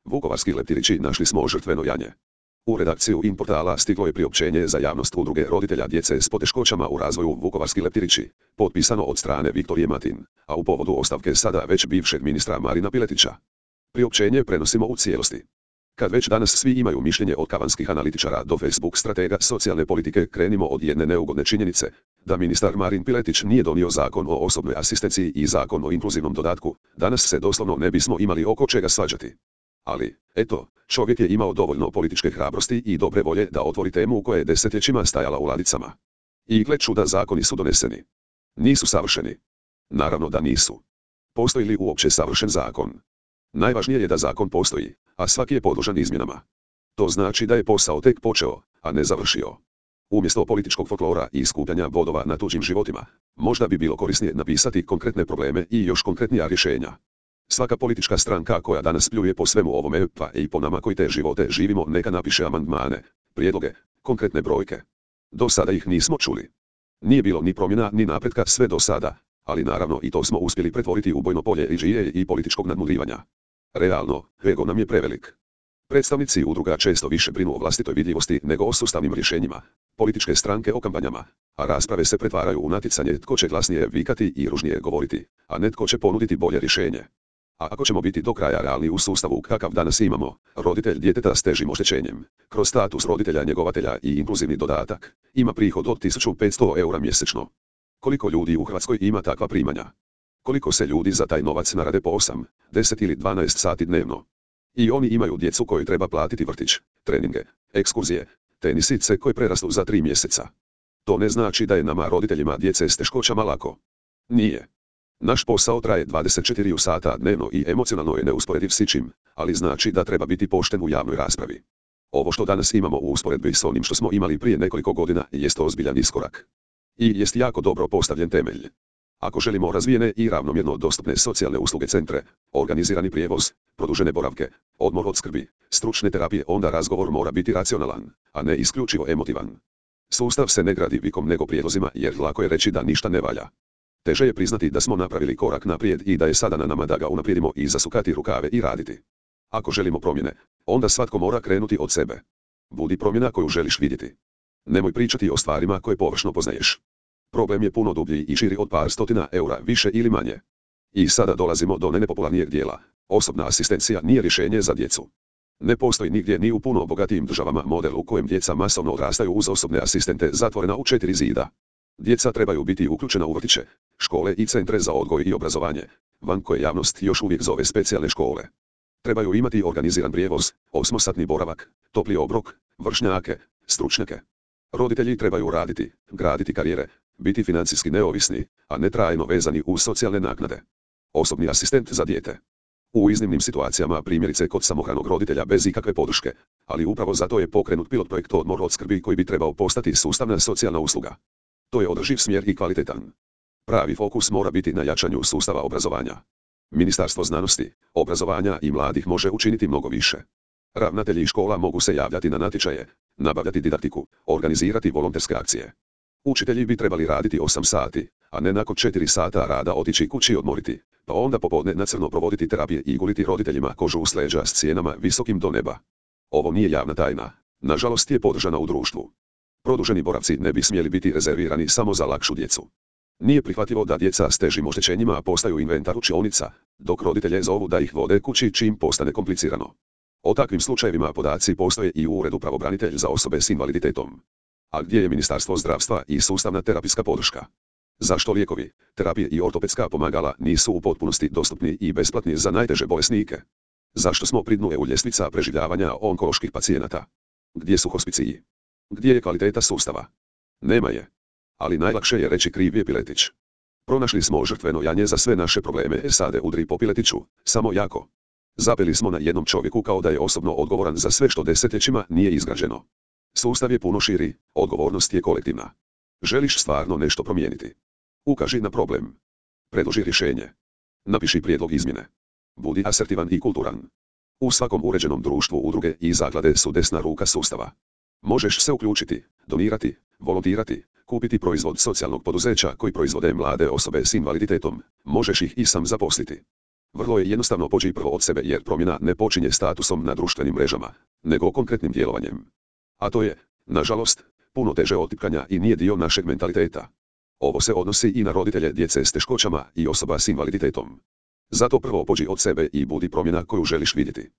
Vukovarski leptirići našli smo žrtveno janje. U redakciju Inportala stiglo je priopćenje za javnost udruge roditelja djece s poteškoćama u razvoju Vukovarski leptirići, potpisano od strane Viktorije Matin, a u povodu ostavke sada već bivšeg ministra Marina Piletića. Priopćenje prenosimo u cijelosti. Kad već danas svi imaju mišljenje od kavanskih analitičara do Facebook stratega socijalne politike, krenimo od jedne neugodne činjenice, da ministar Marin Piletić nije donio zakon o osobnoj asistenciji i zakon o inkluzivnom dodatku, danas se doslovno ne bismo imali oko čega svađati. Ali, eto, čovjek je imao dovoljno političke hrabrosti i dobre volje da otvori temu koja je desetljećima stajala u ladicama. I gle čuda, zakoni su doneseni. Nisu savršeni. Naravno da nisu. Postoji li uopće savršen zakon? Najvažnije je da zakon postoji, a svaki je podložan izmjenama. To znači da je posao tek počeo, a ne završio. Umjesto političkog folklora i skupljanja bodova na tuđim životima, možda bi bilo korisnije napisati konkretne probleme i još konkretnija rješenja. Svaka politička stranka koja danas pljuje po svemu ovome, pa i po nama koji te živote živimo, neka napiše amandmane, prijedloge, konkretne brojke. Do sada ih nismo čuli. Nije bilo ni promjena ni napretka sve do sada, ali naravno i to smo uspjeli pretvoriti u bojno polje iđije i političkog nadmudrivanja. Realno, ego nam je prevelik. Predstavnici udruga često više brinu o vlastitoj vidljivosti nego o sustavnim rješenjima, političke stranke o kampanjama, a rasprave se pretvaraju u natjecanje tko će glasnije vikati i ružnije govoriti, a ne tko će ponuditi bolje rješenje. A ako ćemo biti do kraja realni u sustavu kakav danas imamo, roditelj djeteta s težim oštećenjem, kroz status roditelja njegovatelja i inkluzivni dodatak, ima prihod od 1500 eura mjesečno. Koliko ljudi u Hrvatskoj ima takva primanja? Koliko se ljudi za taj novac narade po 8, 10 ili 12 sati dnevno? I oni imaju djecu koju treba platiti vrtić, treninge, ekskurzije, tenisice koje prerastu za 3 mjeseca. To ne znači da je nama roditeljima djece s teškoćama lako. Nije. Naš posao traje 24 sata dnevno i emocionalno je neusporediv s ičim, ali znači da treba biti pošten u javnoj raspravi. Ovo što danas imamo u usporedbi s onim što smo imali prije nekoliko godina jest ozbiljan iskorak. I jest jako dobro postavljen temelj. Ako želimo razvijene i ravnomjerno dostupne socijalne usluge, centre, organizirani prijevoz, produžene boravke, odmor od skrbi, stručne terapije, onda razgovor mora biti racionalan, a ne isključivo emotivan. Sustav se ne gradi vikom nego prijedlozima, jer lako je reći da ništa ne valja. Teže je priznati da smo napravili korak naprijed i da je sada na nama da ga unaprijedimo i zasukati rukave i raditi. Ako želimo promjene, onda svatko mora krenuti od sebe. Budi promjena koju želiš vidjeti. Nemoj pričati o stvarima koje površno poznaješ. Problem je puno dublji i širi od par stotina eura više ili manje. I sada dolazimo do nepopularnijeg dijela. Osobna asistencija nije rješenje za djecu. Ne postoji nigdje ni u puno bogatijim državama model u kojem djeca masovno odrastaju uz osobne asistente zatvorena u 4 zida. Djeca trebaju biti uključena u vrtiće, škole i centre za odgoj i obrazovanje, van koje javnost još uvijek zove specijalne škole. Trebaju imati organiziran prijevoz, 8-satni boravak, topli obrok, vršnjake, stručnjake. Roditelji trebaju raditi, graditi karijere, biti financijski neovisni, a ne trajno vezani uz socijalne naknade. Osobni asistent za dijete. U iznimnim situacijama, primjerice kod samohranog roditelja bez ikakve podrške, ali upravo zato je pokrenut pilot projekt odmor od skrbi koji bi trebao postati sustavna socijalna usluga. To je održiv smjer i kvalitetan. Pravi fokus mora biti na jačanju sustava obrazovanja. Ministarstvo znanosti, obrazovanja i mladih može učiniti mnogo više. Ravnatelji škola mogu se javljati na natječaje, nabavljati didaktiku, organizirati volonterske akcije. Učitelji bi trebali raditi 8 sati, a ne nakon 4 sata rada otići kući i odmoriti, pa onda popodne na crno provoditi terapije i guliti roditeljima kožu uz leđa s cijenama visokim do neba. Ovo nije javna tajna, nažalost je podržana u društvu. Produženi boravci ne bi smjeli biti rezervirani samo za lakšu djecu. Nije prihvatljivo da djeca s težim oštećenjima postaju inventar učionica, dok roditelje zovu da ih vode kući čim postane komplicirano. O takvim slučajevima podaci postoje i u Uredu pravobranitelja za osobe s invaliditetom. A gdje je Ministarstvo zdravstva i sustavna terapijska podrška? Zašto lijekovi, terapije i ortopedska pomagala nisu u potpunosti dostupni i besplatni za najteže bolesnike? Zašto smo pri dnu EU ljestvica preživljavanja onkoloških pacijenata? Gdje su hospiciji? Gdje je kvaliteta sustava? Nema je. Ali najlakše je reći kriv je Piletić. Pronašli smo žrtveno janje za sve naše probleme, sade udri po Piletiću, samo jako. Zapeli smo na jednom čovjeku kao da je osobno odgovoran za sve što desetljećima nije izgrađeno. Sustav je puno širi, odgovornost je kolektivna. Želiš stvarno nešto promijeniti? Ukaži na problem. Predloži rješenje. Napiši prijedlog izmjene. Budi asertivan i kulturan. U svakom uređenom društvu udruge i zaklade su desna ruka sustava. Možeš se uključiti, donirati, volontirati, kupiti proizvod socijalnog poduzeća koji proizvode mlade osobe s invaliditetom, možeš ih i sam zaposliti. Vrlo je jednostavno poći prvo od sebe jer promjena ne počinje statusom na društvenim mrežama, nego konkretnim djelovanjem. A to je, nažalost, puno teže od tipkanja i nije dio našeg mentaliteta. Ovo se odnosi i na roditelje djece s teškoćama i osoba s invaliditetom. Zato prvo pođi od sebe i budi promjena koju želiš vidjeti.